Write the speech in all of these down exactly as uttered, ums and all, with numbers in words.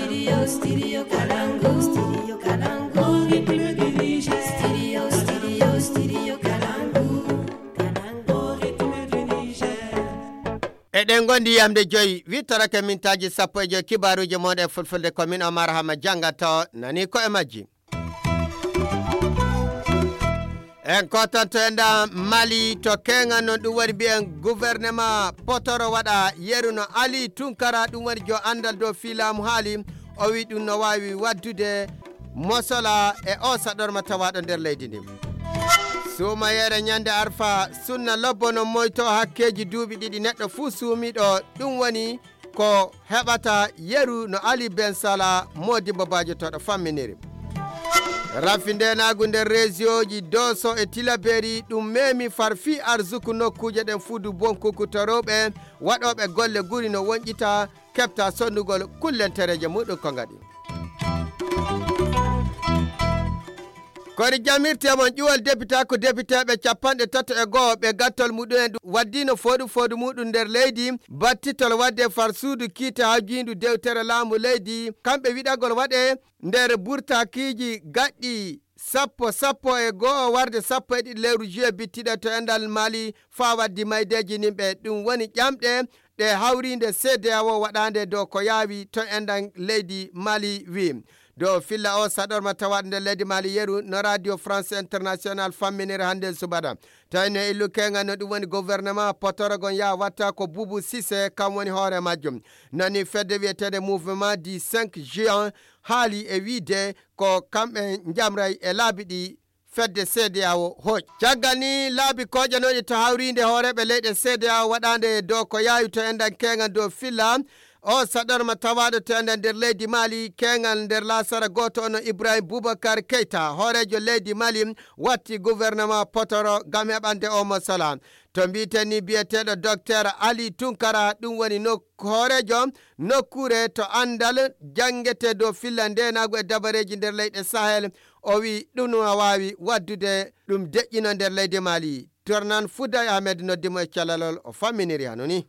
Studio, studio Kalangu, studio Kalangu, rythme du Niger. Studio, studio, studio Kalangu, Kalangu, rythme du Niger. Eɗen ngondi yamde joyi, wittorake mintaaji sappo e joyi kibaaruuji mon e fulfulde ko min Omar Hama janngato nani ko e majji. En kotanto e nda Mali to keŋal non ɗum woni mbiyen gouvernement potoro waɗa yeru no Ali Tunkara ɗum woni jo anndal dow fiilaamu haali o wi ɗum no waawi waddude mosola e o saɗorma tawaaɗo nder leydi ndi. Suumayeere ñande arfa sunna lobbo no moyto hakkeeji duuɓi ɗiɗi neɗɗo fuu suumiiɗo ɗum woni ko heɓata yeru no Ali Ben Sala modibbo baajotoɗo famminiri. Rafi ndenaagu nder resioji doso e tilaberi ɗum memi far fii arsuku nokkuuje ɗen fuudu bonkuku to rewɓe waɗooɓe golle guri no wonƴita keɓta sonnugol kullentereeje muɗum ko ngaɗi. Kori jamirte mon ƴuwal depita ko depiteeɓe capanɗe tato e go'o ɓe gattol muɗum en ɗum waddino fooɗu fooɗu muɗum nder leydi battitol wadde far suudu kiite hawjiindu dewtere laamu leydi kamɓe wiɗagol waɗe nder burtakiiji gaɗɗi sappo sappo e go'o warde sappo e ɗiɗi lewru juillet bittiɗo to enɗal Mali faa waddi maydeeji nimɓe ɗum woni ƴamɗe ɗe hawriinde C D A O waɗaande dow ko yaawi to enɗan leydi Mali wi dow filla o saɗorma tawaaɗo nder leydi Mali yeru no Radio France International famminira hannde subaka. Tawi no illu keeŋal no ɗum woni gouvernement potorogon yaa watta ko Boubou Cissé kam woni hoore majjum. Nani fedde wiyeteende Mouvement du cinq juin haali e wiide ko kamɓe njamray e laabi ɗi fedde C D A O hooƴ. Caggal ni laabi koƴanooɗi to hawriinde hooreeɓe leyɗe C D A O waɗaande dow ko yaawi to enɗan keeŋal dow filla o saɗorma tawaaɗo to enɗan nder leydi Mali keeŋal nder laasara gooto ono Ibrahim Boubacar Keita hooreejo leydi Mali watti gouvernement potoro ngam heɓande o mosala. To mbiiten ni biyeteeɗo Docteur Ali Tunkara ɗum woni nok hooreejo nokkuure to anndal janngete dow filla ndeenaagu e dabareeji nder leyɗe Sahel o wi ɗum no waawi waddude ɗum deƴƴino nder leydi Mali. Tornan Fouday Ahmed noddi mo e calalol o famminiri hano ni.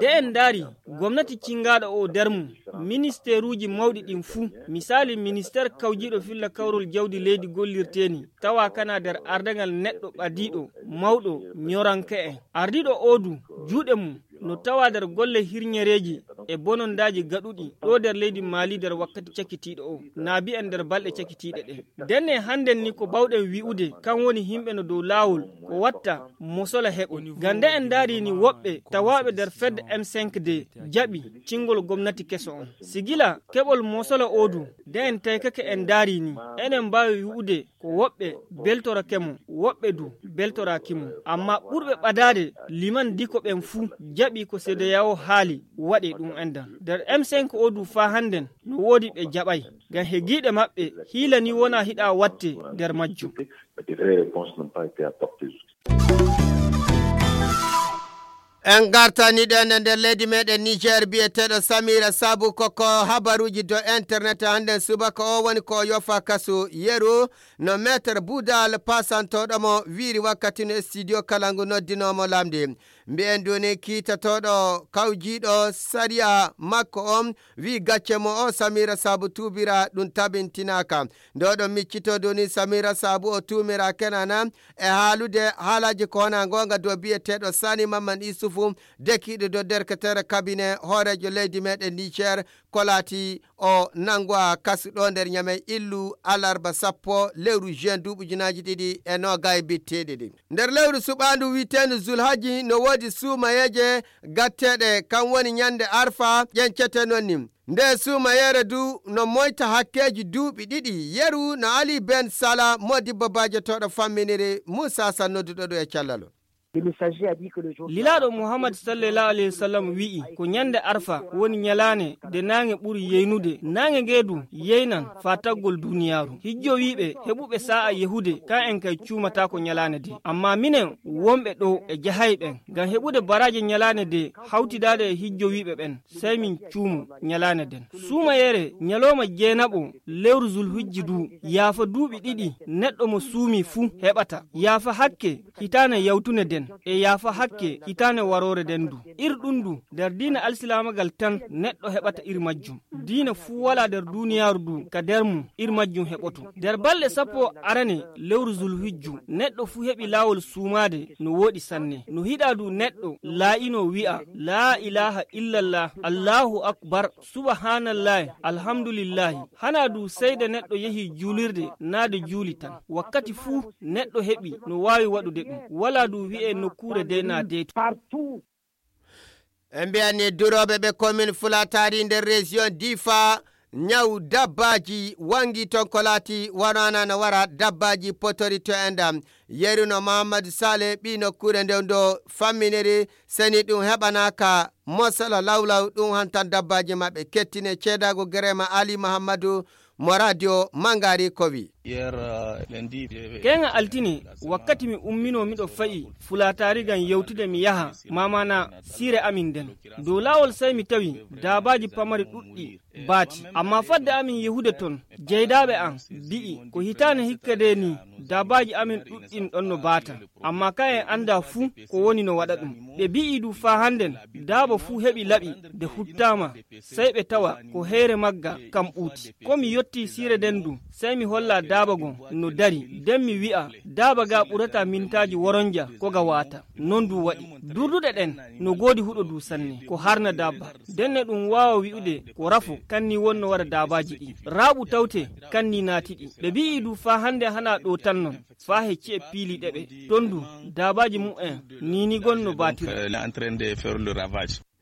De en ndaari gomnati cinngaaɗo o nder mum ministeeruuji mawɗi ɗin fuu, misaali ministeer kawjiiɗo filla kawrol jawdi leydi gollirteeni tawa kana nder ardaŋal neɗɗo ɓadiiɗo mawɗo ñoranke'en. Ardiiɗo oo du juuɗe mum no tawa nder golle hirñereeji e bonondaaji gaɗuɗi ɗo nder leydi Maali nder wakkati cakitiiɗo o naa mbiyen nder balɗe cakitiiɗe ɗen. Ndenne hannden ni ko baawɗen wi'ude kan woni yimɓe no dow laawol ko watta mosola heɓo. Ngam nde en ndaari ni woɓɓe tawaaɓe nder fedde M cinq D jaɓi cingol gomnati keso on. Sigila keɓol mosola oo du nde en taykake en ndaari ni enen mbaawi wi'ude ko woɓɓe beltorake mo woɓɓe du beltoraaki mo. Amma ɓurɓe ɓadaade liman diko ɓen fuu jaɓi ko C D A O haali waɗi ɗum enɗan. Nder M cinq oo du faa hannden no woodi ɓe jaɓay. Ngam he giiɗe maɓɓe hiila ni wonaa hiɗa watte nder majjum. En ngartani ɗen e nder leydi meɗen Niger biyeteeɗo Samira Sabu koko habaruuji dow internet hannden subaka o woni ko o yofa kasu yeru no meeter budal pasantoɗo mo wiiri wakkati no studio kala ngu noddinomo lamdi. Mbiyen duni kiitotooɗo kawjiiɗo sariya makko on wi gacce mo o Samira Sabu tuubira ɗum tabintinaaka. Nde oɗon miccito duni Samira Sabu o tuumira kenana e haalude haalaaji ko wona ngoonga dow biyeteeɗo Sani Mamman Isufu dekiiɗo dow derketere kabine hooreejo leydi meɗen Niger ko laati o nannguwa kasu ɗo nder Ñamey illu alarba sappo lewru juin duuɓi ujunaaji ɗiɗi e noogay bitteeɗi ɗi. Nder lewru suɓaandu wi'eteendu Zulhaji no woodi suumayeeje gatteeɗe kam woni ñannde Arfa ƴencete non ni. Nde suumayeere du no moyta hakkeeji duuɓi ɗiɗi yeru no Ali Ben Sala modibbo baajotoɗo famminiri Muusa San nodduɗo ɗum e callal o. Lilaaɗo Muhammad sallallahu alayhi wa sallam wi'i ko ñande Arfa woni ñalaane nde naange ɓuri yeynude. Naange nge du yeynan faa taggol duuniyaaru. Hijjowiiɓe heɓuɓe saa'a yahude kan en kay cuumataako ñalaane de. Amma minen wonɓe ɗo e jahay ɓen ngam heɓude baraaje ñalaane de hawtidaade e hijjowiiɓe ɓen sey min cuumo ñalaane den. Suumayeere ñalooma jeenaɓo lewru Zulhijji du yaafa duuɓi ɗiɗi neɗɗo mo suumi fuu heɓata. Yaafa hakke hitaane yawtunde den. e yaafa hakke hitaande waroore nden du. Ir ɗum du, nder diina alsilaamagal tan neɗɗo heɓata ir majjum. Diina fuu walaa nder duuniyaaru du ka nder mum ir majjum heɓoto. Nder balɗe sappo arane lewru Zulhijju, neɗɗo fuu heɓi laawol suumaade no wooɗi sanne. No hiɗaa du neɗɗo laa'ino wi'a, "Laa ilaaha illallah, Allaahu akbar, subhaanallaahi, alhamdulillaahi." Hanaa du sey de neɗɗo yehi juulirde naa de juuli tan. Wakkati fuu neɗɗo heɓi no waawi waɗude ɗum. Walaa du wi'e nokkuure de naa deetu. En mbiyani durooɓe ɓe commune Fulatari nder région Difa, ñaw dabbaaji wangi ton ko laati wonana no wara dabbaaji potori to en ɗam. Yeruno Mahamadou Sale ɓi nokkuure nden do famminiri seni ɗum heɓanaka mosala lawlaw ɗum hantan dabbaaji maɓɓe kettine ceedaago Gerema Ali Mahamadou mo radio Mangari ko wi. Keŋa altine, wakkati mi umminoo miɗo fa'i Fulaataari ngam yewtude mi yaha, maamaana siire amin nden. Dow laawol sey mi tawi daabaaji pamari ɗuɗɗi baati. Ammaa fadde amin yehude ton, jeydaaɓe am bi'i, "Ko hitaande hikka de ni daabaaji amin ɗuɗɗin ɗon no baata." Ammaa ka en anndaa fuu ko woni no waɗa ɗum. Ɓe bi'i du faa hannden daaba fuu heɓi laɓi de huttaama. Sey ɓe tawa ko heyre magga kam ɓuuti. Ko mi yottii siire nden du, sey mi holla daaba gon no dari, nden mi wi'a, "Daaba ga ɓurata mintaaji woronja ko ga waata." Non du waɗi. Durduɗe ɗen no goodi huɗo du sanne, ko harna daaba. Nden ne ɗum waawa wi'ude ko rafo, kan ni wonno waɗa daabaaji ɗi. Raaɓu tawte, kan ni naati ɗi. Ɓe bi'i du faa hannde hanaa ɗo tan non, faa he ci'e piiliiɗe ɓe. Ton du, daabaaji mu'en ni ni gon no baatira.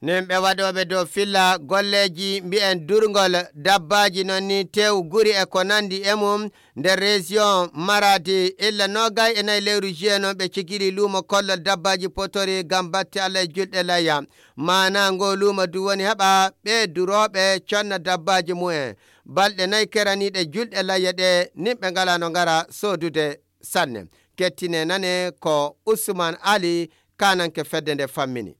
Nin ɓe waɗooɓe dow filla golleeji mbi'en durngol dabbaaji non ni tew guri e ko nandi e mum nder région Maradi illa noogay e nayi lewru juillet non ɓe cigili luumo kollol dabbaaji potori ngam batte Allah e julɗe layya. Maana ngo luumo du woni heɓa ɓe durooɓe conna dabbaaji mumen. Balɗe nayi keraniiɗe julɗe layya ɗe nin ɓe ngalaa no ngara soodude sanne. Kettine nane ko Usman Ali, kananke fedde nde fammini.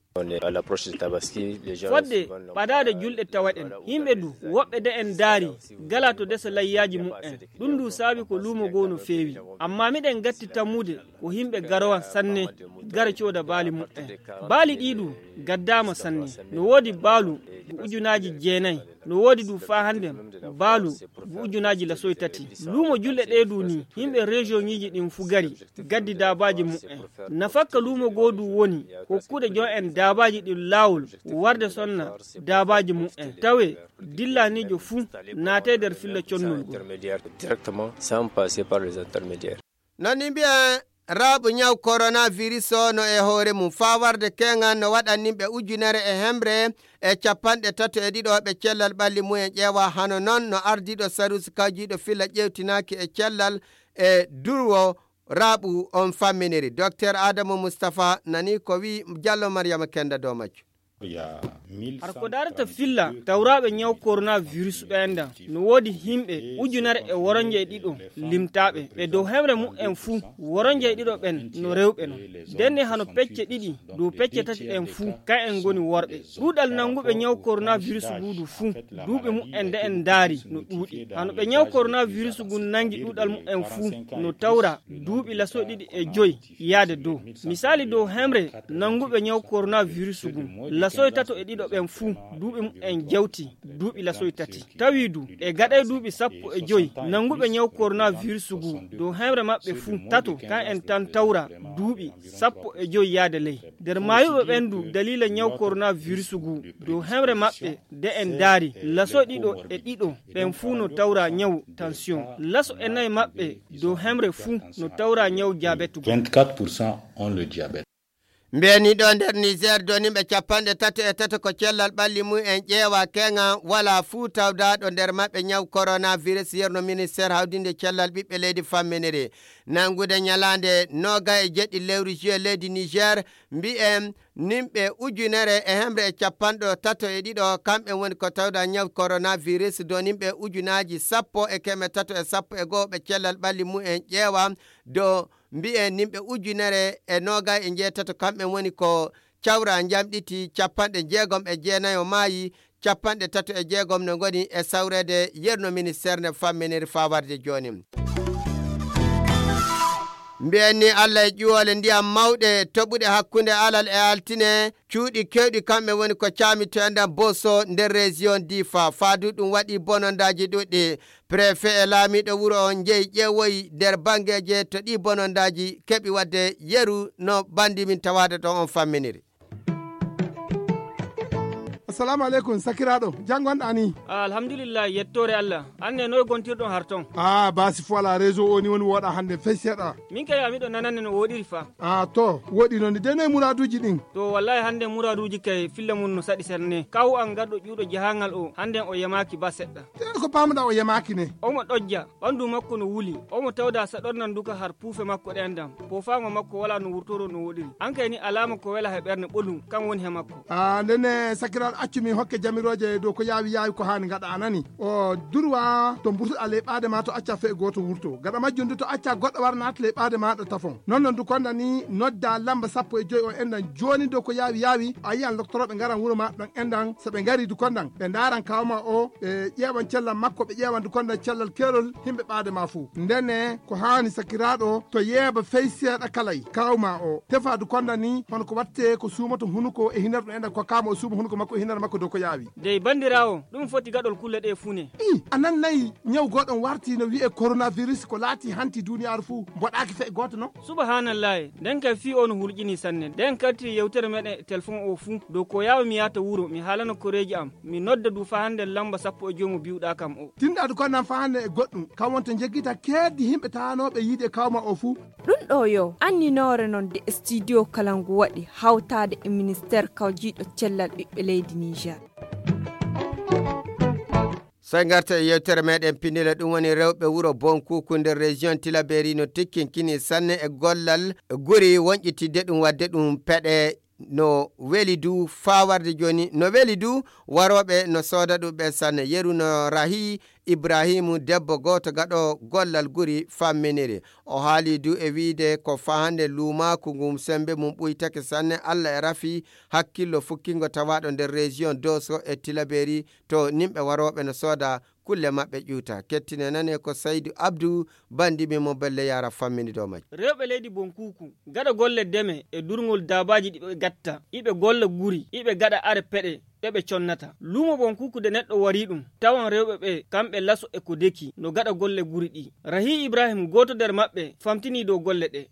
Fodde ɓadaade julɗe tawaɗen, yimɓe du woɓɓe de en daari gala to desa layyaaji mu'en. Ɗum du saabi ko luumo goo no feewi. Amma miɗen gatti tammude ko yimɓe garowan sanne gara cooda baali mu'en. Baali ɗii du gaddaama sanne. No woodi baalu ko ujunaaji jeenayi. No woodi du faa hannde baalu ko ujunaaji lasoy tati. Luumo julɗe ɗee du ni, yimɓe région ŋiiji ɗin fu gari, gaddi daabaaji mu'en. Nafakka luumo goo du woni hokkude jon en daabaaji ɗin laawol warde sonna daabaaji mu'en. Tawe dillaniijo fu naatay nder filla connol gol. Directement, sans passer par les intermédiaires. Non ni mbiyen raaɓu ñaw coronavirus o no e hoore mum faa warde keŋan no waɗan nimɓe ujunere e hemre e capanɗe tato e ɗiɗo ɓe cellal ɓalli mumen ƴeewa. Hano non no ardiiɗo saruusi kawjiiɗo filla ƴeewtinaaki e cellal e durwo raaɓu on famminiri. Docteur Adamu Mustapha nani ko wi Jallo Maryama Kenda dow majju. Har ko daarata filla tawraaɓe ñaw coronavirus ɓeen ɗan, no woodi yimɓe ujunere e woronje e ɗiɗo limtaaɓe. Ɓe dow hemre mu'en fuu, woronje e ɗiɗo ɓen no rewɓe non. Ndenne hano pecce ɗiɗi dow pecce tati ɗen fuu, ka'en ngoni worɓe. Ɗuuɗal nannguɓe ñaw coronavirus ngu du fuu, duuɓi mu'en nde en ndaari no ɗuuɗi. Hano ɓe ñaw coronavirus ngun nanngi ɗuuɗal mu'en fuu, no tawra duuɓi laso ɗiɗi e joy yaade dow. Misaali dow hemre nannguɓe ñaw coronavirus ngun, lasoy tato e ɗiɗo ɓen fuu, duuɓi mu'en jawti duuɓi lasoy tati. Tawi du, e gaɗay duuɓi sappo e joy nannguɓe ñaw coronavirus ngu, dow hemre maɓɓe fuu tato, kan en tan tawra duuɓi sappo e joy yaade ley. Nder maayuɓe ɓen du daliila ñaw coronavirus ngu, dow hemre maɓɓe de en ndaari, laso ɗiɗo e ɗiɗo ɓen fuu no tawra ñaw tension. Laso e nayi maɓɓe dow hemre fuu no tawra ñaw diabète ngu. Vingt-quatre pour cent ont le diabète. Mbiyani ɗo nder Niger doniɓe capanɗe tato e tato ko cellal ɓalli mum en ƴeewa keŋa wala fuu tawdaaɗo nder maɓɓe ñaw coronavirus yerno ministère hawdinde cellal ɓiɓɓe leydi famminiri. Nanngude ñalaande nooga e jeɗɗi lewru juillet leydi Niger, mbiyen nimɓe ujunere e hemre e capanɗo tato e ɗiɗo, kamɓe woni ko tawda ñaw coronavirus do nimɓe ujunaaji sappo e keme tato e sappo e goo ɓe cellal ɓalli mum en ƴeewa do mbiyen nimɓe ujunere e nooga e njeetato, kamɓe woni ko cawra njamɗiti capanɗe jeegom e jeenayo maayi, capanɗe tato e jeegom no ngoni e sawreede yerno ministère nde famminiri faa warde jooni. Mbiyen ni Allah e ƴuwoole ndiyam mawɗe toɓuɗe hakkunde alal e altine, cuuɗi keewɗi kamɓe woni ko caami to enɗan Boso nder région Difa. Faadu ɗum waɗi bonondaaji ɗuɗɗi. Préfet e laamiiɗo wuro on njeyi ƴeewoyi nder banngeeje to ɗi bonondaaji keɓi waɗde yeru no banndi min tawaade ɗon on famminiri. Assalamu aleykum, sakiraaɗo. Jam ngonɗaa ni? Ah, alhamdulillah, yettoore Allah. An ne, noy gontirɗon har ton? Ah, baasi fo alaa, réseau o ni woni wooɗaa hannde fey seeɗa. Min kay, a miɗo nanande no wooɗiri fa. Ah, to, wooɗi noon ni. De noy muraaduuji ɗin? To, wallahi hannde muraaduuji kay filla mun no saɗi serne. Kawu an garɗo ƴuuɗo jahangal o, hannde o yamaaki ba seɗɗa. Te ko paamuɗaa o yamaaki ne? Omo ɗojja, ɓandu makko no wuli. Omo tawda saɗornan duka har puufe makko ɗen dam. Poofaango makko walaa no wurtoro no wooɗiri. An kay ni alaama ko wela he ɓernde ɓolum, kan woni he makko. Ah, ndenne sakiraaɗo, accu min hokke jamirooje dow ko yaawi yaawi ko haani ngaɗa, a nani? O durwa to mburtuɗaa ley ɓaade ma to acca fee gooto wurto. Gaɗa majjum du to acca goɗɗo wara naata ley ɓaade ma ɗo tafon. Non non du konda ni nodda lamba sappo e joy o enɗan jooni dow ko yaawi yaawi. A yiyan loktorooɓe ngaran wuro ma ɗon enɗan. So ɓe ngari du kondan, ɓe ndaaran kaaw ma o, ɓe ƴeewan cellal makko, ɓe ƴeewan du kondan cellal keerol himɓe ɓaade ma fuu. Ndenne ko haani sakiraaɗo to yeeba fey seeɗa kalay kaaw ma o. Tefa du kondan ni hono ko watte ko suumoto hunuko e hinar ɗum enɗan ko kaama o suuma hunuko makko e hinar makko dow ko yaawi. Dey bandiraawo, ɗum foti gaɗol kulle ɗe fuu ne. I, a nan nayi ñaw gooɗon warti no wi'e coronavirus ko laati hanti duniyaaru fuu mboɗaaki fey gooto non? Subhanallaahi, nden kay fii o no hulƴini sanne. Nden karti yewtere meɗen e telefon o fuu. Dow ko yaawa mi yaata wuro, mi haalana koreeji am. Mi nodda du faa hannde lamba sappo e joy mo bi'uɗaa kam o. Tinɗaadu ko nan faa hannde e goɗɗum. Kam wonta njeggita keeddi himɓe taanooɓe yiide e kawma o fuu. Ɗum ɗo yo anninoore non de studio kala ngu waɗi hawtaade e ministeer kawjiiɗo cellal ɓiɓɓe leydi Niger. Sey ngarta e yewtere meɗen pinndile, ɗum woni rewɓe wuro Bonkuku nder région Tilaberi no tikkinkini sanne e gollal guri wonƴitidde ɗum, waɗde ɗum peɗe no weli du faa warde jooni, no weli du warooɓe no sooda ɗum ɓe sanne. Yeru no Rahi Ibrahimu, debbo gooto gaɗo gollal guri famminiri. O haali du e wiide ko faa hannde luumaaku ngun sembe mum ɓuytake sanne. Alla e rafi hakkillo fukkingo tawaaɗo nder région Doso e Tilaberi to nimɓe warooɓe no sooda kulle maɓɓe ƴuuta. Kettine nane ko Saydu Abdu, bandi mi mo belle yara fammini dow majje. Rewɓe leydi Bonkuku gaɗa golle deme e durngol daabaaji ɗi ɓe gatta, iɓe golla guri, iɓe gaɗa are peɗe ɗe ɓe connata. Luumo Bonkuku de neɗɗo wari ɗum, tawan rewɓe ɓe kamɓe laso e ko deki no gaɗa golle guri ɗi. Rahi Ibrahim, gooto nder maɓɓe, famtini dow golle ɗe.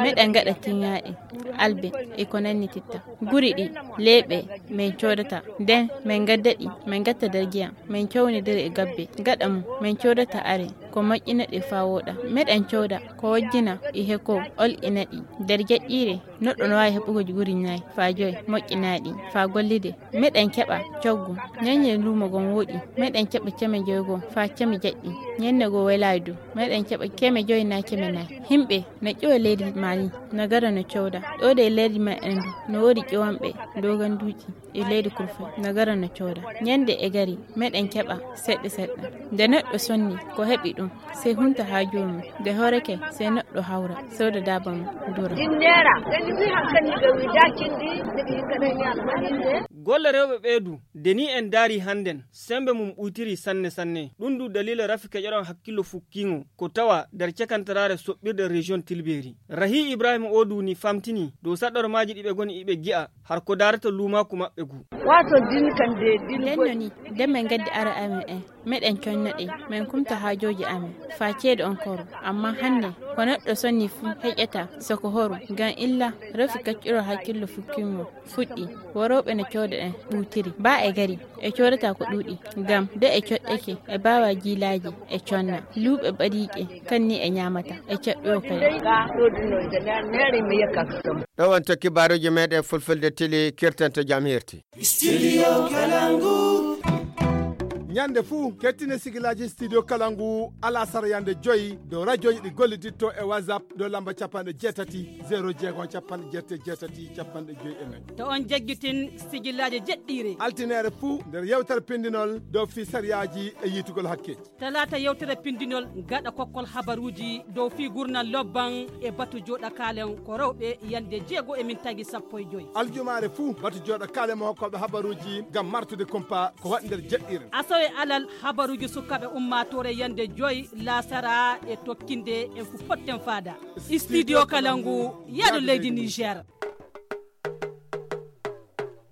Meɗen gaɗa tiŋaaɗe, albe, e ko nanni titta. Guri ɗi, leeɓe, min coodata. Nden, min gadda ɗi, min gatta nder giyam, min cawnidira e gabbe. Gaɗa mum, min coodata are, ko moƴƴina ɗe faa wooɗa. Meɗen cooda, ko wojjina, e heko, olƴina ɗi. Nder jaƴƴiire, neɗɗo no waawi heɓugo guri nayi, faa joy, moƴƴinaaɗi, faa gollide. Meɗen keɓa coggu, ñeñe luumo gon wooɗi. Meɗen keɓa ceme joy goo, faa ceme jaƴɗi. Ñenne goo welaay du, meɗen keɓa keme joy naa keme nayi. Himɓe na ƴiwa leydi Mali, na gara na cooda. Ɗoo de leydi meɗen du, no woodi ƴiwanɓe doganduuji e leydi kurfay, na gara na cooda. Ñande e gari, meɗen keɓa seɗɗa seɗɗa. Nde neɗɗo sonni, ko heɓi ɗum, sey hunta haa joomum. Nde hoorake, sey neɗɗo hawra, sooda daaba mum, dura. Dinneera, kadi fii hankadi ga wi daakindi, miɗo hikka ɗen ñaama hannde. Golle rewɓe ɓee du, de ni en ndaari hannden, sembe mum ɓuytiri sanne sanne. Ɗum du daliila rafi keƴoɗon hakkillo fukkiingo, ko tawa nder cakantaraare soɓɓirde région Tilbeeri. Rahi Ibrahima oo du ni famtini dow saɗɗormaaji ɗi ɓe ngoni iɓe gi'a, har ko daarata luumaaku maɓɓe gu. Waato din kan de din. Nden no ni, nden min ngaddi ara amen en. Meɗen conno ɗe, min kumta haajooji amen, faa ceede on koro. Ammaa hannde, ko neɗɗo sonni fuu heƴata, soko horu, ngam illa rafi kaccirol hakkillo fukkiingo fuɗɗi, worooɓe no cooda ɗen ɓuutiri. Baa e gari, e coodata ko ɗuuɗi, ngam de e coɗɗake, e baawa jiilaaji, e conna. Luuɓe ɓadiiɗe, kan ni e ñaamata, e caɗɗoo kadi. Ɗo wonto kibaaruuji meɗen Fulfulde Tili kirtanto jam hirti. Studio Kalangu. Ñande fuu, kettine sigilaaji Studio Kalangu alasara yande joy dow rajooji ɗi golliditto e WhatsApp dow lamba capanɗe jeetati, zero jeego, capanɗe jeetati, capanɗe joy e nayi. To on jaggitin sigilaaji jeɗɗiire. Altineere fuu nder yewtere pindinol dow fii sariyaaji e yiitugol hakke. Talaata yewtere pindinol gaɗa kokkol habaruuji dow fii gurnal lobban e batu jooɗa kaalen ko rewɓe yande jeego e min tagi sappo e joy. Aljumaare fuu batu jooɗa kaalen mo hokkooɓe habaruuji ngam martude kumpa ko waɗi nder jeɗɗiire. Asawe E alal habaruuji sukaaɓe ummaatoore yande joy laasara e tokkinde en fu potten faada. Studio Kalangu, yaado leydi Niger.